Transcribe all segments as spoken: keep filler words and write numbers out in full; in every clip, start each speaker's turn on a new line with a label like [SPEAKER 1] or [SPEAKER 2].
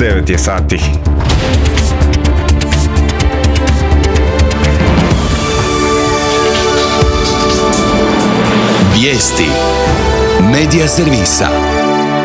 [SPEAKER 1] devet je sati.
[SPEAKER 2] Vijesti Medija servisa.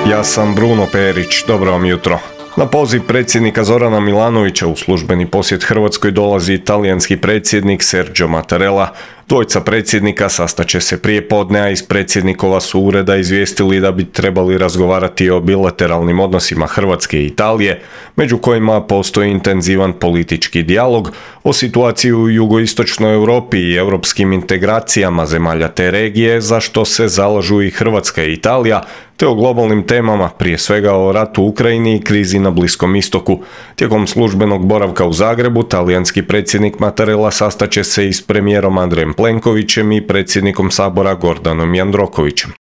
[SPEAKER 1] Ja sam Bruno Perić, dobro vam jutro. Na poziv predsjednika Zorana Milanovića u službeni posjet Hrvatskoj dolazi talijanski predsjednik Sergio Mattarella. Dvojica predsjednika sastaće se prije podne, a iz predsjednikova su ureda izvijestili da bi trebali razgovarati o bilateralnim odnosima Hrvatske i Italije, među kojima postoji intenzivan politički dijalog, o situaciji u jugoistočnoj Europi i europskim integracijama zemalja te regije, za što se zalažu i Hrvatska i Italija, te o globalnim temama, prije svega o ratu u Ukrajini i krizi na Bliskom istoku. Tijekom službenog boravka u Zagrebu, talijanski predsjednik Mattarella sastaće se i s premijerom Andrejem Plenkovićem i predsjednikom Sabora Gordanom Jandrokovićem.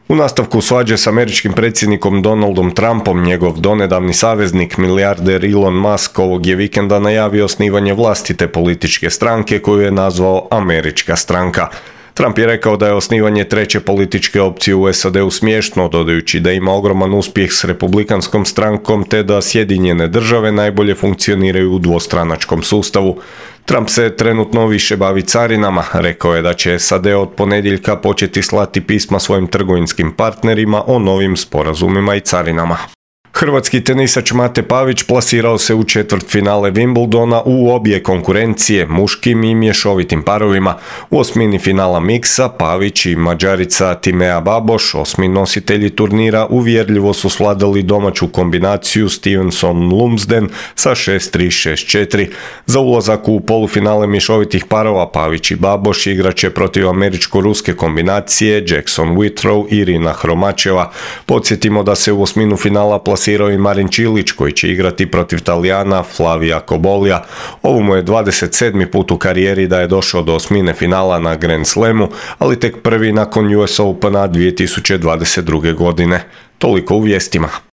[SPEAKER 1] U nastavku svađe s američkim predsjednikom Donaldom Trumpom, njegov donedavni saveznik, milijarder Elon Musk, ovog je vikenda najavio osnivanje vlastite političke stranke koju je nazvao Američka stranka. Trump je rekao da je osnivanje treće političke opcije u S A D-u smiješno, dodajući da ima ogroman uspjeh s republikanskom strankom te da Sjedinjene države najbolje funkcioniraju u dvostranačkom sustavu. Trump se trenutno više bavi carinama, rekao je da će S A D od ponedjeljka početi slati pisma svojim trgovinskim partnerima o novim sporazumima i carinama. Hrvatski tenisač Mate Pavić plasirao se u četvrtfinale Wimbledona u obje konkurencije, muškim i mješovitim parovima. U osmini finala miksa Pavić i Mađarica Timea Baboš, osmi nositelji turnira, uvjerljivo su svladali domaću kombinaciju Stevenson-Lumsden sa šest tri šest četiri. Za ulazak u polufinale mješovitih parova Pavić i Baboš igraće protiv američko-ruske kombinacije Jackson Whitrow i Irina Hromačeva. Podsjetimo da se u osminu finala plasirao i Marin Čilić koji će igrati protiv Talijana Flavija Kobolija. Ovo mu je dvadeset sedmi put u karijeri da je došao do osmine finala na Grand Slamu, ali tek prvi nakon U S Opena dvije tisuće dvadeset druge godine. Toliko u vijestima.